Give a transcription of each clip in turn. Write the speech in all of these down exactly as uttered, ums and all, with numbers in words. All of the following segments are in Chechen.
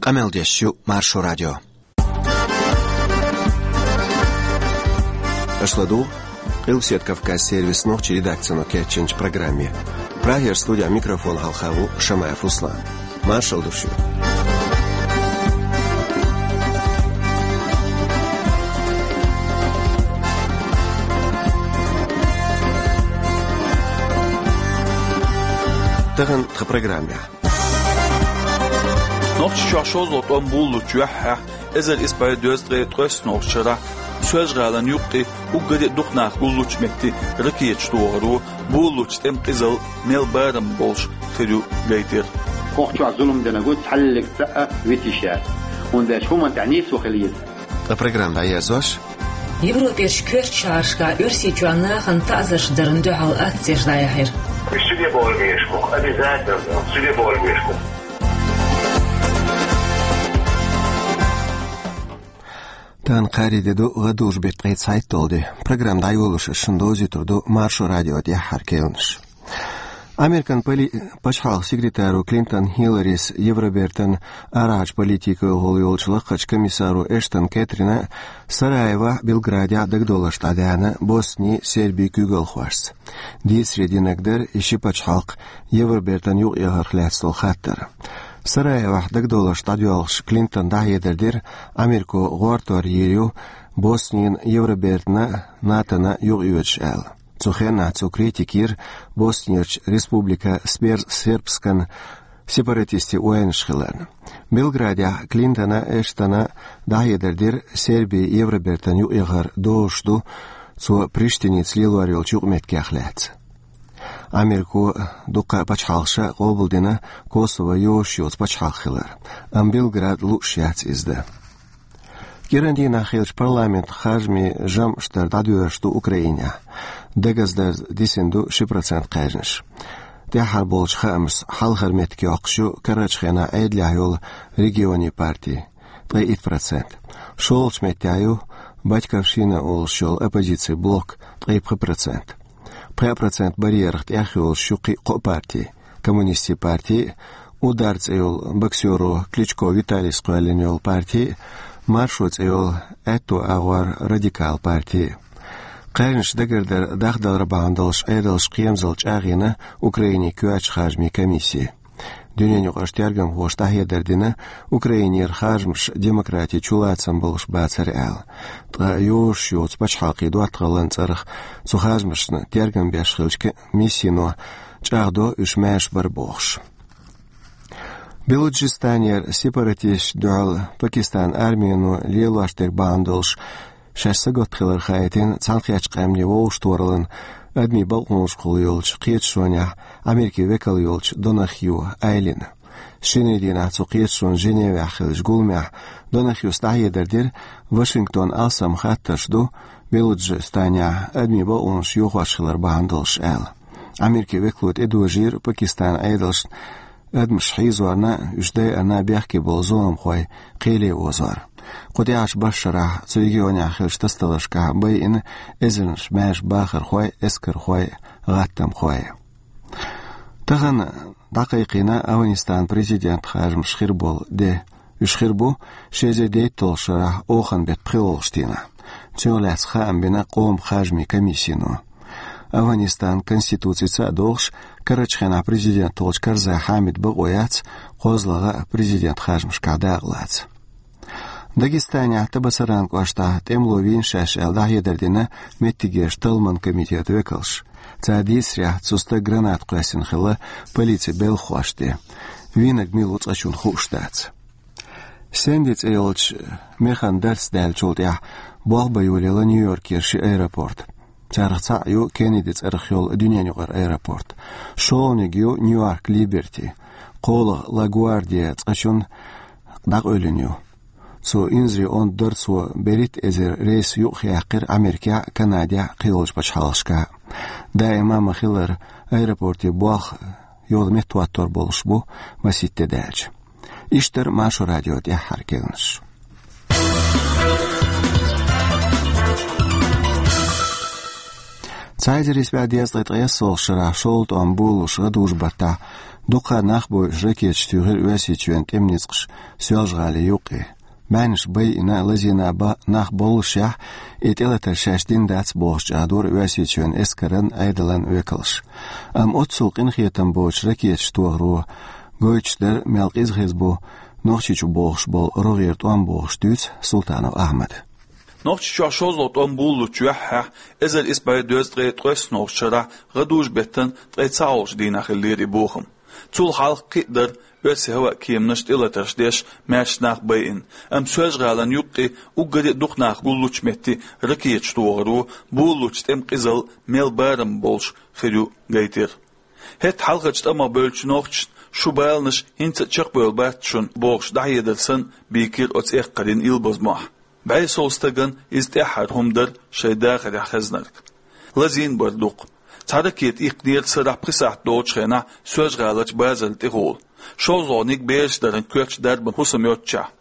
Къамел деш ю Маршо радио. Аша ладугӀу Къилбаседа Кавказ сервисан нохчийн редакцино кечйинчу программе. Прагера студехь микрофон хьалха ву Шамаев Руслан. Маршалла ду шуьга. Тахана тхан программехь. Нохчийчохь шозлагӀа тӀом буллучу юьххьехь, эзар исс бӀе дезткъе ткъайоьссанолгӀачу шарахь, Соьлжа-ГӀалин юккъе уггаре а дукха нах гуллучу метте ракеташ тохар ву, буллучу тӀеман къизалла мел барам болуш хир ю гайтира. ХӀокху чохь зулам динарг ву цхьаллиг цхьаъ а витийша яц. ХӀунда аьлча хӀуманна тӀехь нийсо хила еза. Ткъа программа дӀаерзош. Европерчу коьртачу шахьаршкахь Оьрсийчоьнан нахана таӀзарш дарна дуьхьал акцеш дӀаяьхьира. Уьш чу де бовла безаш бу, обязательно чу де бовла безаш бу. Тахана кхаарин де ду, гӀадужу беттан ткъе цхьайтталгӀа де. Программа дӀайолош ас шуна довзуьйтур ду Маршо радион тӀаьххьара кхаьънаш. Американ поли-, пачхьалкхан секретаро Клинтон Хилларис, Евробертан арахьарчу политикехула йолчу лакхарчу комиссаро Эштон Кэтрина Сараевохь, Белградехь дагадовларш дӀадаьхьна Боснин, Сербин куьйгалхошца. Дийцаре динарг дара и ши пачхьалкх Евробертана юкъаэхарх лаьцна долу хаттар. Сараевохь дагадовларш дӀадоьлхуш, Клинтона дӀахьедар дира, Америко гӀортор йийр ю Боснина Евробертана, НАТОна юкъайоьдуш аьлла. Цу хенахь цо критика йира Боснерчу Республика Сбер-, Сербскан сепаратистийн ойланаш хиларна. Белградехь Клинтона, Эштона дӀахьедар дира Серби Евробертана юкъаэхар дозуш ду цо Приштиница лелор йолчу юкъаметтигех лаьцна. Америко дуккха а пачхьалкхаша къобалдина Косово йозуш йоцу пачхьалкх хилар, амма Белграда лууш яц иза дан. КӀиран дийнахь хиллачу парламентан харжамийн жамӀаш дар дӀадоьрзуш ду Украинехь. Дагаздарца дисина ду ши процент кхаьжнаш. ТӀаьххьара болчу хаамашца хьалхара меттиг йоккхуш ю карарчу хенахь Ӏедалехь йолу Регионийн партия, ткъе итт процент. ШолгӀачу меттехь ю Батькивщина олуш йолу оппозицин блок, ткъе пхи процент. Пхи процент барьерах тӀехйолуш ю кхин а кхо партий: Коммунистийн партий, Удар цӀе йолу боксеро Кличко Виталийс кхоьллина йолу партий, Маршо цӀе йолу аьтту агӀор Радикал партий. Кхаьжнаш дагардар дахдалар бахьана долуш Ӏедалша кхерамзалла чӀагӀйина Украинин коьртачу харжамийн комисси. Дуьненаюкъарчу тергамхоша дӀахьедар дина, Украинера харжамаш демократин чулацам болуш бацара аьлла. Ткъа йозуш йоцу пачхьалкхийн доттагӀаллин цӀарах цу харжамашна тергам беш хиллачу комиссино чӀагӀдо уьш маьрша бара бохуш. Белуджистанера сепаратисташна дуьхьал Пакистанан армино лелош дерг бахьана долуш, шаьш сагатта хилар хаийтина Цхьаьнакхеттачу Къаьмнийн Вовшахтохараллин адамийн бакъонашкахула йолчу кхеташонехь Америкин векал йолчу Донахью Айлина. Шинарин дийнахь цу кхеташонан Женевехь хиллачу гуламехь Донахьюс дӀахьедар дира, Вашингтон алсам хаттарш ду Белуджистанехь адамийн бакъонаш йохош хилар бахьана долуш аьлла. Америкин векало тӀедожийра Пакистанан Ӏедалшна адамаш хьийзорна, уьш дайарна бехке болу зуламхой кхеле озор. Кху тӀаьхьарчу бархӀ шарахь цу регионехь хиллачу тасадаларшкахь байина эзарнаш маьрша бахархой, эскархой, гӀаттамхой. Тахана дӀакхайкхийна Афганистанан президентан харжамаш хир болу де. Уьш хир бу ши эзар дейтталгӀачу шарахь оханан беттан пхоьалгӀачу дийнахь. Цунах лаьцна хаам бина къоман харжамийн комиссино. Афганистанан конституцица а догӀуш, карарчу хенахь президент волчу Карзай Хьамидан бакъо яц кхозлагӀа президентан харжамашкахь дакъалаца. Дагестанехь Табасаран кӀоштахь тӀемало вийна шаьш аьлла дӀахьедар дина меттигерчу талламан комитетан векалша. Цара дийцарехь, цу стага граната кхоьссина хилла полицин белхахошна тӀе. Вийнарг мила ву цкъачунна хууш дац. Сэнди цӀе йолчу механа дарц даьллачул тӀаьхьа болх бан йолаелла Нью-Йоркера ши аэропорт. Царах цхьаъ ю Кеннеди цӀарах йолу дуьненаюкъара аэропорт. ШолгӀаниг ю Нью-Йорк Либерти. КхоалгӀа Ла Гвардия цкъачунна дӀакъевлина ю. Цу инзаре онда дара цо берхӀитта эзар рейс юкъахъяьккхира Америкехь а, Канадехь а, кхийолчу пачхьалкхашкахь а. Даима а ма-хиллара, аэропортийн болх йола меттахӀоттор болуш бу масийтта де даьлча. Иштта дара Маршо радион тӀаьххьара кхаьънаш. Цхьа эзар исс бӀе дезткъе ткъайоьсналгӀача шерашка шолгӀа тӀом буллуш гӀадужу баттахь дукха нах бойуш ракеташ туьйхира Оьрсийчоьнан тӀеман ницкъаша Соьлжа-ГӀалин юккъе. Баьхнаш байина, лазийна ба-, нах боллушехь, и тӀелатар шаьш дина дац бохуш чӀагӀдора Оьрсийчоьнан эскаран, Ӏедалан векалш. Амма оццул къинхетам боцуш ракеташ тохаро гойтуш дара, мел къиза хеза бу Нохчийчу бохуш болу рогӀера тӀом бохуш дуьйцу Султанов Ахьмада. Нохчийчохь шолгӀа тӀом буллучу юьххьехь, эзар исс бӀе дезткъе ткъайоьсналгӀачу шерахь гӀадужу-беттан ткъе цхьалгӀачу дийнахь хиллера и бохам. Цул хьалха кхин а дара оьрсийн хӀаваан кеманаш тӀелатарш деш маьрша нах байина, амма Соьлжа-ГӀалин юккъе уггаре а дукха нах гуллучу метте ракеташ тохаро буллучу тӀеман къизалла мел барам болуш хир ю гайтира. ХӀетахь хьалхарчу тӀамах бевллачу нохчашна: «Шун баланаш хӀинца а чекхбевлла бац шуна», – бохуш дӀахьедар санна, бийкира оцу эккхарийн илбаза мохь. БӀе сов стагана иза тӀаьххьара хӀума дара шайн дахарехь хезнарг. Лазийна бара дукха. Цхьа ракета иккхинера сарахь пхи сахьт долчу хенахь Соьлжа-ГӀаларчу базарна тӀехула, шолгӀаниг бераш даран коьртачу дарбан хӀусам йоцчохь.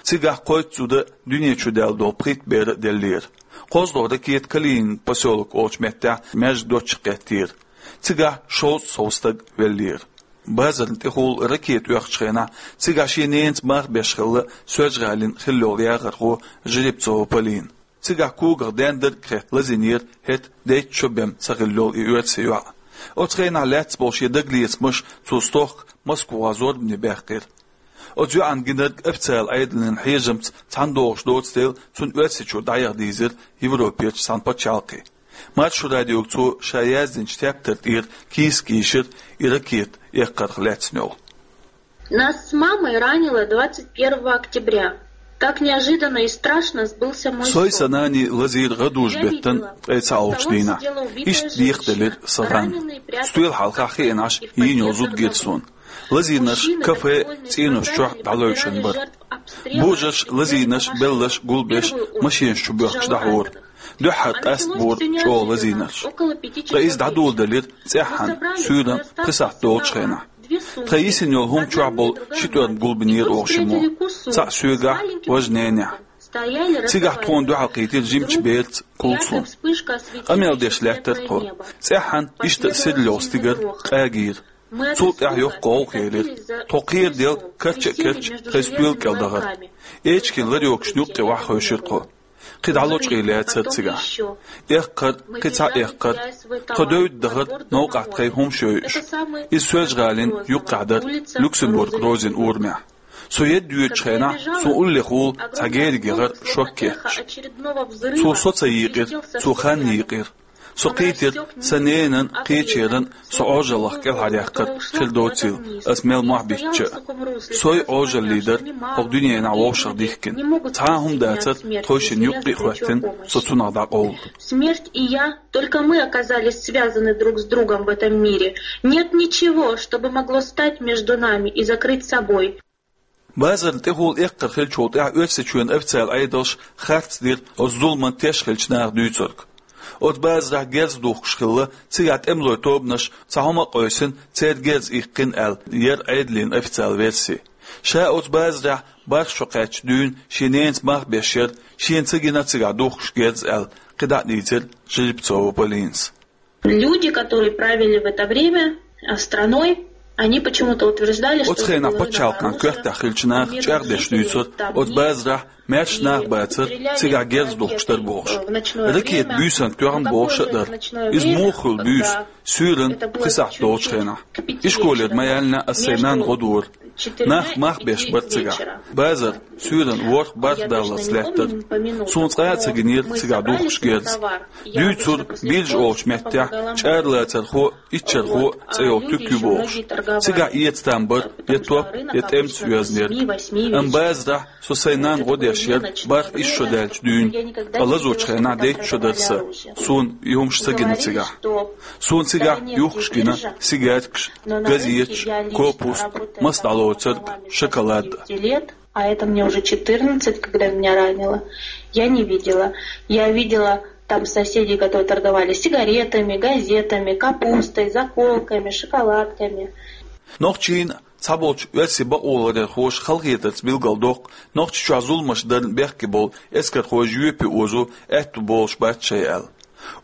Цигахь кхойтта зуда, дуьне чу даьлла долу пхийтта бер а деллера. КхозлагӀа ракета Калинин посёлок олучу меттехь маьждиг доцчух кхеттера. Цигахь шовзткъа сов стаг веллера. Базарна тӀехула ракета оьхучу хенахь цигахь шен ненаца мах беш хилла Соьлжа-ГӀалин хилла йолу яхархо Жеребцова Полина. Цигахь когах даьннарг а хетта лазийнера хӀета дейтта шо бен ца хилла йолу и оьрсийн йоӀ. Оцу хенахь лаьцна болу шен дагалецамаш цо стохка Москвахь зорбане баьккхира. Оцу йоӀана гинарг официалан Ӏедалан хьежамца цхьаьна догӀуш доцу дела, цунна Оьрсийчуьра дӀаяха дийзира Европерчу цхьана пачхьалкхе. Маршо радиога цо ша яздинчу тептар тӀера кийсак йийшира и ракета эккхарх лаьцна йолу. Нас с мамой ранило двадцать первого октября. Так неожиданно и страшно сбылся мой сон. Сой сан нана лазийра гӀадужу-беттан ткъе цхьалгӀачу дийнахь. Иштта декхаделира сан хан. Стоьла хьалха хиъна Ӏаш йийна йолу зуда гира суна. Лазийнарш кафе, цӀенош чохь дӀалевшина бара. Божарш лазийнарш, белларш гулбеш машенаш чу боьхкуш дӀахьора. Дуьххьара къаста бора чӀогӀа лазийнарш. Ткъа иза дӀадоладелира цӀеххьана, суьйранна пхи сахьт долчу хенахь. Тхан йисина йолу хӀума чохь болу ши тӀорма гулбинера оха шиммо. Цхьаъ соьгахь, важа ненехь. Цигахь тхуна дуьхьалкхийтира жимачу бераца Кулсум. Къамел деш лаьттара тхо. ЦӀеххьана иштта а сирла йолу стигар къагийра. Цул тӀаьхьа йоккха гӀовгӀа хилира. Тхо кхераделла карча а кхаьчча, тхайн стоьла кӀел дахара. Эчиган ларёгашна юккъе охьахевшира тхо. Кхин дӀа лочкъий лаьцара цигахь. Эккхар, кхин цхьа эккхар. Тхо девдда дахара новкъахь тхайн хӀумаш йойуш. Иза Соьлжа-ГӀалина юккъехь дара, Люксембург-Розин урамехь. Со едда йоьдучу хенахь суна уллехула цхьа герга яхара шок кхетча. Цо со ца йийкъира, цо хан йийкъира. Со кхийтира сан ненан, кхечеран со Ӏожаллах кӀелхьаръяьккхар хир доцийла, ас мел мохь биттича а. Сой Ӏожаллий дара хӀокху дуьненахь вовшах дихкина. Цхьа а хӀума дацара тхойшинна юккъе а хӀоьттина, со цунах дӀакъовла. Смерть и я, только мы оказались связаны друг с другом в этом мире. Нет ничего, чтобы могло стать между нами и закрыть собой. Базарна тӀехула эккхар хиллачул тӀаьхьа Оьрсийчоьнан официалан Ӏедалша харц дира оцу зуламан теш хиллачу наха дуьйцург. Оцу базарахь герз духкуш хилла, цигахь тӀемалойн тобанаш цхьа хӀума а къийсина, церан герз иккхина аьлла, яра Ӏедалан официалан верси. Ша оцу базарехь бархӀ шо кхаьчча дуьйна шен ненаца мах беш яра, шена ца гина цигахь духкуш герз аьлла, кхидӀа а дийцира Жеребцова Полинас. Люди, которые правили в это время, а, страной, они почему-то утверждали, что... Оцу хенахь пачхьалкхана коьртехь хиллачу наха чӀагӀдеш дуьйцура, оцу базарахь маьрша нах бацара, цигахь герз духкуш дара бохуш. Ракета буьйсанна тоьхна бохуш а дара. Иза муха хуьлу буьйса, суьйранна пхи сахьт долчу хенахь. Ишколера ма яьллинехь ас сайн нанна гӀо дора. Нах мах беш бара цигахь. Базар суьйранна ворхӀ-бархӀ даллалц лаьттара. Суна цкъа а ца гинера цигахь духкуш герз. Дуьйцура, биржа олучу меттехь чӀаралацархо а, иччархо а цӀе йолу туька ю бохуш. Цигахь эца там бара, я топ, я тӀемца йоьзна ерг. Амма базарахь со сайн нанна гӀо деш яра бархӀ-исс шо даьллачу дуьйна, ткъа лазочу хенахь дейтта шо дара сан. Суна и хӀумаш ца гина цигахь. Суна цигахь юхкуш гина сигаьркаш, газеташ, копуста, маса дӀалоцург, шоколад. А это мне уже четырнадцать, когда меня ранило. Я не видела. Я видела там соседей, которые торговали сигаретами, газетами, капустой, заколками, шоколадками. Нохчийн цхьаболчу оьрсийн бакъоларъярхоша халахетарца билгалдоккху, Нохчийчохь зуламаш дарна бехке болу эскархой жоьпе озо аьтту болуш бац шайн аьлла.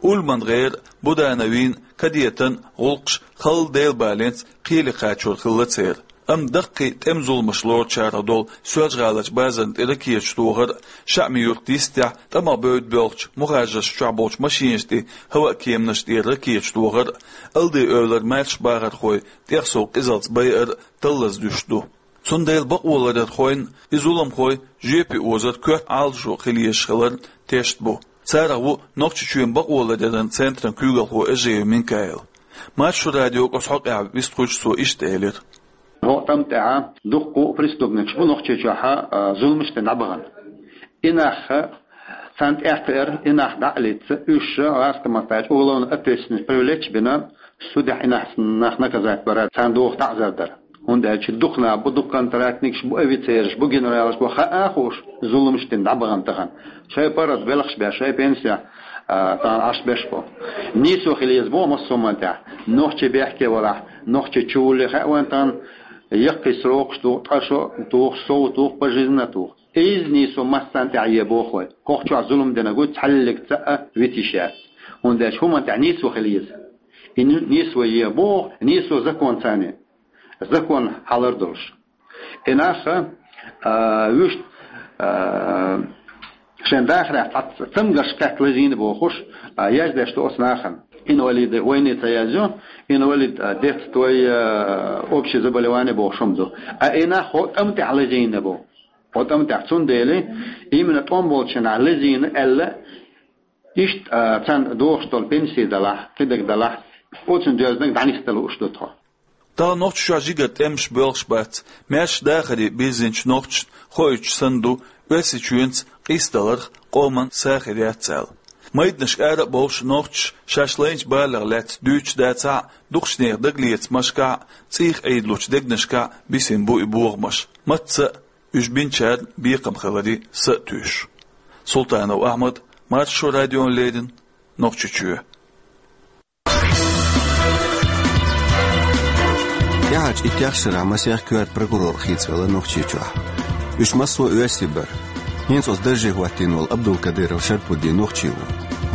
Ульман гӀера, Будановин, кадетан гӀуллакхаш халла Делан баленца кхеле кхачор хилла церан. Амма даккхий тӀеман зуламаш лоручарах долу Соьлжа-ГӀаларчу базарна тӀе ракеташ тохар а, ШаӀми-Юрт йистехь тӀамах бевдда боьлхучу мухӀажаршна чохь болчу машинашна тӀе, хӀаваан кеманашна тӀера ракеташ тохар а, Алди-Эвлара маьрша бахархой тӀех сов къизалц байар а таллаза дуьсуш ду. Цундела бакъоларъярхойн а, и зуламхой жоьпе озар коьрта Ӏалашо хила езаш хиларан тешна бу. Царах ву Нохчийчоьнан бакъоларъяран центран куьйгалхо Эжиев Минкаил. Маршо радиога оцу хьокъехь вистхуьлуш цо иштта элира: ХӀокху тӀам тӀехь дуккха а преступникаш бу Нохчийчохь, а, зуламаш дина дӀабахана. И нах, царна тӀе а кхиар, и нах дӀа а лицца, уьш гӀазкхийн маттахь уголовно ответственность привлечь а бина, судехь и нах, нах наказать бара, царна доху таӀзар дара. ХӀунда аьлча дукха нах бу, дукха контрактникаш бу, офицераш бу, генералаш бу, хаа а хууш, зуламаш дина дӀабахана тахана. Шайн паргӀат белхаш беш, шайн пенсехь, а, тахана Ӏаш беш бу. Нийсо хила еза боху массо а маттахь. Нохчий бехке валахь, нохчий чувулле хаьа вайн тахана, яккхий срокаш туху, ткъа шо а туху, сов а туху, пожизненно а туху. Иза нийсо массарна тӀехь е боху вай. ХӀокху чохь зулам динарг ву, цхьаллиг цхьа а витийш яц. ХӀунда аьлча хӀуманна тӀехь нийсо хила еза. И ни-, нийсо е боху, нийсо законцани. Закон хьалар долуш. И нах, а, вуьшта, а, шайн дахарехь цхьацца цамгарш кхетта лазийна бохуш, а, яздеш ду оцу нахана. Инвалиды войны ца язйо, инвалид, а, детства, а, общее заболевание бохуш хӀума ду. А и нах хӀокху тӀам тӀехь лазийна бу. ХӀокху тӀам тӀехь, цундела именно тӀом болчу нах лазийна аьлла, иштта, а, царна дохуш долу пенсий далахь, кхидерг далахь, оцунна доьзнарг дӀанисдала лууш ду тхо. Тахана Нохчийчохь жигара тӀемаш боьлхуш бац, маьрша дахаре бирзинчу нохчашна хоуьйтуш санна ду, Оьрсийчоьнца къийсадаларх къоман са хир яц аьлла. Майданашка ара а бовлуш нохчаша шаьш лайначу балех лаьцна дуьйцуш дацахь а, дукхачу нехан дагалецамашкахь а, цӀийх Ӏийдалучу дегнашкахь а бисина бу и бохамаш. Мацца а уьш бинчарна бекхам хиларе са а туьйсуш. Султанов Ахьмад, Маршо радиона леррина, Нохчийчоь. ТӀаьхьарчу иттех шарахь масех коьрта прокурор хийцавелла Нохчийчохь. Уьш массо а оьрсий бара. ХӀинца оцу дарже хӀоттийна волу Абдулкадыров Шарпуддин нохчи ву.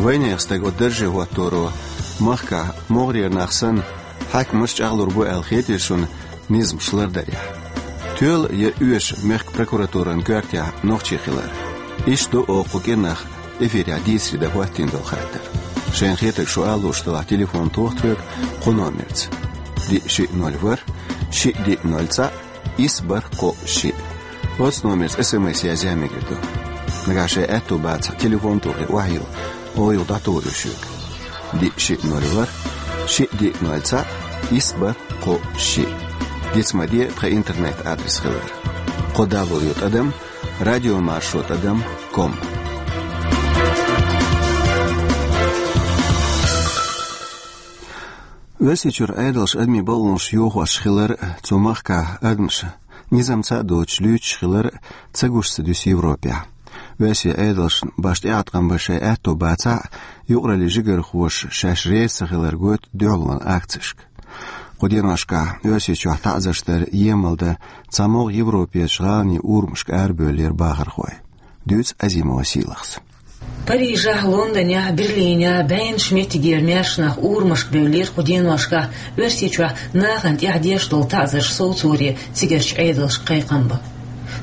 Вайнехан стаг оцу дарже хӀотторо махкахь могӀарера нах санна, хьаькамаш чӀагӀлур бу аьлла хетий шуна, низамаш лардарехь. Тоьла я оьшу мехкан прокуратуран коьртехь нохчи хилар? Иштта ду оха кху кӀирнах эфирехь дийцаре дан хӀоттийна долу хаттар. Шайна хетарг шу ала лууш делахь, телефон тоха тхоьга кху номерца: диъ шиъ ноль ворхӀ, шиъ диъ ноль цхьаъ, исс бархӀ кхоъ шиъ. Оцу номерца эс эм эс язъян мегар ду. Нагахь шайн аьтто бацахь, телефон тохий охьайилла, оха юха дӀатухур ю шуьга. Диъ шиъ ноль ворхӀ, шиъ диъ ноль цхьаъ, исс бархӀ кхоъ шиъ. Диц ма де тхан интернет-адрес хилар: кхо дабл ю тӀадам радиомаршо тӀадам ком. Оьрсийчуьра Ӏедалша адамийн бакъонаш йохош хилар а, цу махкахь адамаш низамца а доцуш луьйчуш хилар а ца гуш ца дуьсу Европехь. Оьрсийн Ӏедалшна башха тӀеӀаткъам бан шайн аьтто бацахь а, юкъараллин жигархоша шаьш реза ца хилар гойту дуьхьалонан акцешка. Кху деношкахь Оьрсийчохь таӀзарш дар емал дан цхьамогӀа Европерчу гӀаланийн урамашка арабевллера бахархой. Дуьйцу Азимова Сийлахьс. Парижехь, Лондонехь, Берлинехь бӀеннаш меттигера маьрша нах урамашка бевллера кху деношкахь Оьрсийчохь нахана тӀехь деш долу таӀзарш совцоре цигарчу Ӏедалшка кхайкхам бан.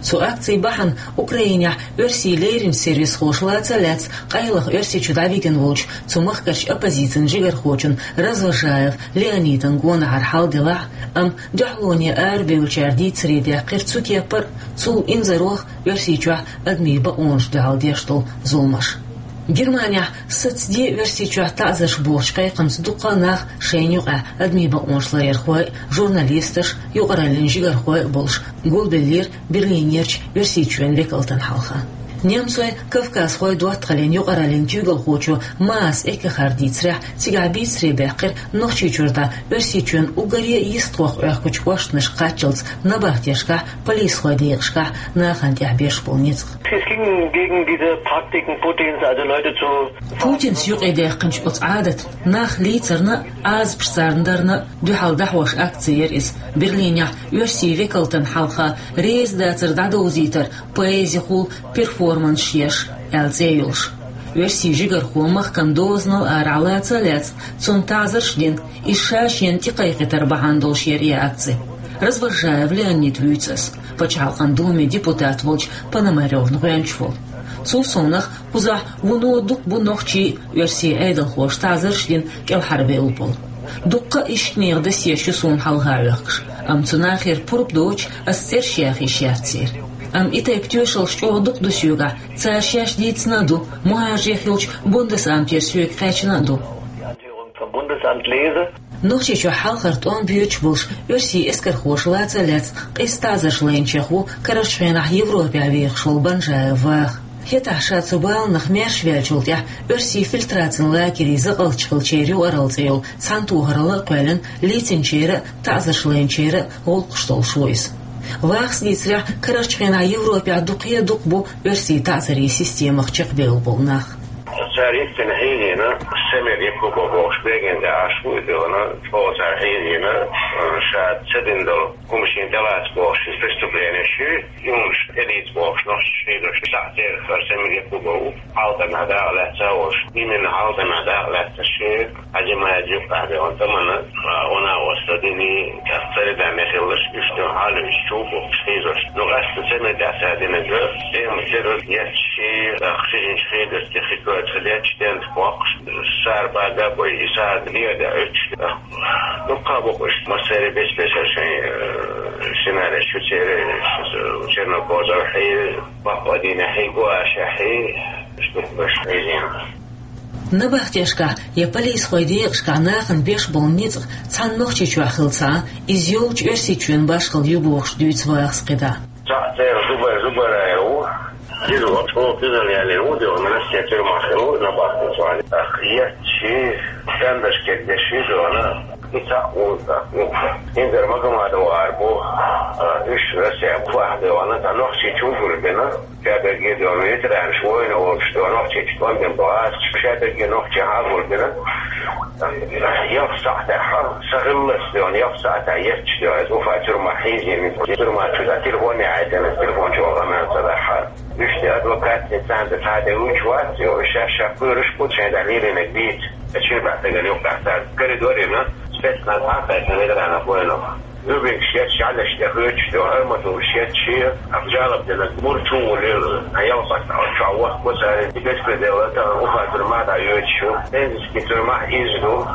Цу акцийн бахьана Украинехь оьрсийн леринчу сервисхоша лаца а лаьцна, къайлаха Оьрсийчу дӀавигна волчу цу махкарчу оппозицин жигархочун Развожаев Леонидан гонахьара хьал делахь а, амма дуьхьалоне арабевллачара дийцаре даьккхира цу кепара а, цул инзарах а Оьрсийчохь адамийн бакъонашна дуьхьал деш долу зуламаш. Германехь «Саца де Оьрсийчохь таӀзарш» бохучу кхайкхамца дуккха а нах шайна юкъахь адамийн бакъонаш ларъярхой а, журналисташ а, юкъараллин жигархой а болуш гулбеллера Берлинерчу Оьрсийчоьнан векалтан хьалха. Немцойн, кавказхойн доттагӀаллин юкъараллин куьйгалхочо Маас Эккехарта дийцарехь, цигахь бийцаре баьккхира Нохчийчуьра дӀа Оьрсийчоьнан уггаре а йистхох Ӏохкучу кӀоштанашка кхаччалц набахтешкахь, полисхойн декъашкахь нахана тӀехь беш болу ницкъ. Es ging gegen diese Praktiken Putins, also Leute zu Путинца юкъадаьккхинчу оцу Ӏадатна, нах лийцарна а, Ӏазапаш царна дарна а дуьхьал дӀахьош акци яра иза, Берлинехь оьрсийн векалтан хьалха реза дацар дӀадовзийтар, поэзихула перформанс еш аьлла цӀе йолуш. Оьрсийн жигархо махкана дозанал арахьа лаца а лаьцна, цунна таӀзарш а дина, иза ша шена тӀекхайкхийтар бахьана долуш яра и акци. Развозжаев Леонид вуьйцу ас, Пачхьалкхан Думе депутат волчу Пономарёвна гӀоьнча волу. Цул совнаха, кхузахь вуно дукха бу нохчий а, оьрсийн Ӏедалхоша таӀзарш а дина кӀелхьарбевлла болу. Дуккха а иштанехан досьеш ю суна хьалха а хьоьхкуш, амма цу нахера пурба доцуш, ас цӀераш яха йиш яц церан. Амма и тайпа тоьшаллаш чӀогӀа дукха ду соьгахь, цара шаьш дийцина а ду, мухӀажаре хиллачу Бундесамтера соьга кхаьчна а ду. Bundesamt lese. Нохчийчохь хьалхара тӀом боьдуш болуш оьрсийн эскархоша лаца а лаьцна, къиза таӀзарш лайначех ву карарчу хенахь Европехь вехаш волу Банжаев Ваха. ХӀетахь ша цу баланах маьрша ваьллачул тӀаьхьа оьрсийн фильтрацин лагерийн закъалтчу хиллачеран юкъаралла цӀе йолу цхьаьнатохаралла а кхоьллина, лецначеран а, таӀзарш лайначеран а гӀуллакхаш долуш ву иза. Вахас дийцарехь, карарчу хенахь Европехь дукхе а дукха бу оьрсийн таӀзарийн системах чекхбевлла болу нах. Цара йиттина хьийзийна, Самир Якубов бохуш, берген де Ӏаш ву и дуьхьал, чӀогӀа цара хьийзийна, ша ца дина долу хӀума шена тӀелаца бохуш, иза преступлени ши, и хӀуманаш тӀелийца бохуш, нохчаша хьийзош, цхьаъ церах хӀара Самир Якубов ву, хьалхарнахь дакъа лаьцна а волуш, именно хьалхарнахь дакъа лаьцна ши, Хьаьжимаев юккъехь бен тамана, а, вана оста дини, тӀаккха царида мехаллаш, уьш ду хьалуьйш чу бу хьийзош. Ну, къаьста ца мега ца динарг, тема ца ду, етташ ши, а, хьижинчу хьийзарца хи коьрта хи детташ, тент боккхуш, сара бага бой, и сара леда уьтташ. Ну, кхаба бу уьш, массаьрий бес-бесара шайн, э, сценарий шу церан, э, Чернокозов хьий, Бакъ Вадина хьий, Гуаша хьий, уьш ду баш хьийзийна. Набахтешкахь я полисхойн декъашкахь нахана беш болу ницкъ цхьана Нохчийчохь хилла ца Ӏа, иза йолчу Оьрсийчоьнан башхалла ю бохуш дуьйцу Вахас кхидӀа. Цхьаъ церан Зубай-, Зубайраев ву. Иза ву, чӀогӀа кхузара яьллина ву, дуьхьал Россия тюрьмахь хилла ву, набахтин цхьаьна. Ах, етташ ши, стендаш кегдеш ши дуьхьал. И цхьаъ ву, цхьаъ ву. ХӀинца Магомадов ара бу, а, уьш Россия фу ахь дуьхьал, цхьа Нохчийчу гулбина. Шадерриге дуьхьал ветеранаш война волуш дуьхьал Нохчийчу тӀом бина бу гӀазкхаша, шадерриге нохчий хьагулбина. Ялх сахьтехь, сан хиллалц дуьхьал, ялх сахьтехь етташ дуьхьал, иза Уфа тюрьмахь хьийзийна, тюрьма чу дан телефон яхьийтина, телефон чу вахана ца дахьа. Уьш де адвокатца царна тӀе цхьа де вуьйцуш вац, йо, шаьш ша кхоьруш бу, шайн тӀехь лелийнарг дийца. Ша чуьра баьхкина юккъехь цара коридорехь спецназ хьакхайкхина ветеранов войнах. Зубинкаш етташ, Ӏалаш тӀе хоьттуш дуьхьал, арматураш етташ, ах, жалоб динарг мур чу волийла, хьан ялхатта чохь вахка цара, и беспредел а тахана Уфа тюрьмахь дӀайоьдуш ю, Пензенский тюрьмахь иза ду.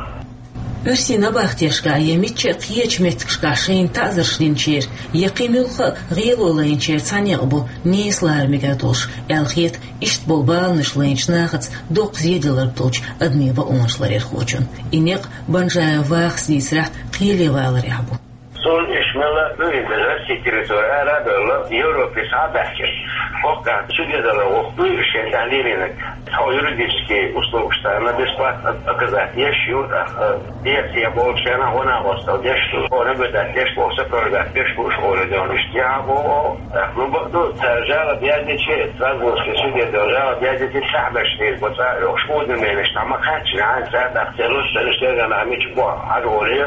Оьрсийн набахтешкахь я мичча а кхечу меттигашкахь шайна таӀзарш динчеран, я кхин муьлхха а гӀело лайначеран цхьа некъ бу нийса лара мегар долуш, аьлла хета иштта болу баланаш лайначу нахаца доккха зеделларг долчу адамийн бакъонаш ларъярхочун. И некъ, Банжаев Вахас дийцарехь, кхеле валарехь бу. Цунна иштта мелла а ду иза, Россин территори ара а бевлла, Европе схьа а баьхкина. ХӀокху тӀехь чудедалар воккхуьйту шен тӀехь лелийнарг. Тхо юридический услугаш царна бесплатно оказать еш ю, тӀаккха, э, дехьа болчарна гӀо-накъосталла деш ду, хьо наблюдать деш боху, сопровождать деш бу уьш олу дела иштта яхьа боху. ТӀаккха, ну, бакъду, цара жалоб яздичи, Страсбургский суде дала жалоб яздичи, сахьбеш дийр бу цӀа а йохуш, уведомлениеш цхьа ма кхаьччина, хьан цара тӀаккха церан луш, церан шерганахь мича боху хьажа олий,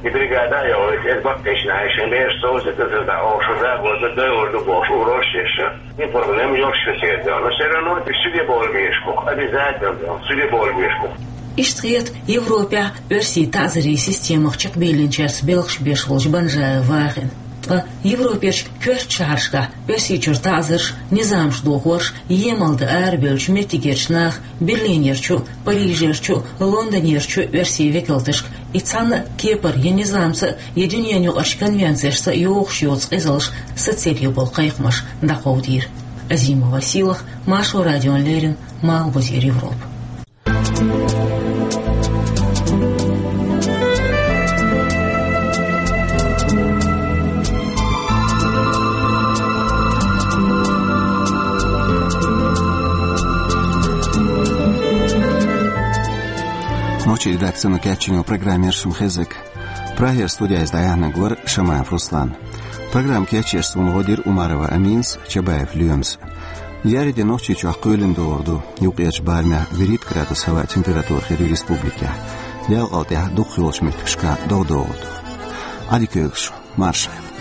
и бригада а йохуьйту, иза баккхийчу нахана шайн бераш совзийтар, иза дӀа оха шу загорда, дойур ду бохуш, угрозаш еш. И проблема йолуш ю церан дела. Но всё равно и суде бовла безаш бу, обязательно, суде бовла безаш бу. Иштта хета Европехь оьрсийн таӀзарийн системах чекхбийлинчаьрца белхаш беш волчу Банжаев Вахина. Ткъа Европерчу коьртачу шахьаршкахь Оьрсийчуьра таӀзарш, низамаш дохорш емал дан арабевллачу меттигерчу наха, Берлинерчу, Парижерчу, Лондонерчу оьрсийн векалташка, и цхьана а кепара я низамца а, я дуьненаюкъарчу конвенцешца а йогӀуш йоцу къизалш сацийла ю болу кхайкхамаш дӀакховдийра. Азимова Сийлаха, Маршо радиона леррина, Малхбузера Европа. Нохчийн редакцино кечйина программа шуна хезнарг. Прагера студехь дӀаяьхьнарг вара Шамаев Руслан. Программа кечъеш суна гӀо дира Умарова Аминас, Чабаев Лоьмас. Яреде Нохчийчохь кхоьлина догӀур ду, юккъерчу барамехь вуьрхӀитта градус хӀаваан температура хир ю республикехь. Ялкъал тӀехь дукхахйолчу меттигашкахь догӀа догӀур ду. Ӏадика йойла шун, марша Ӏойла.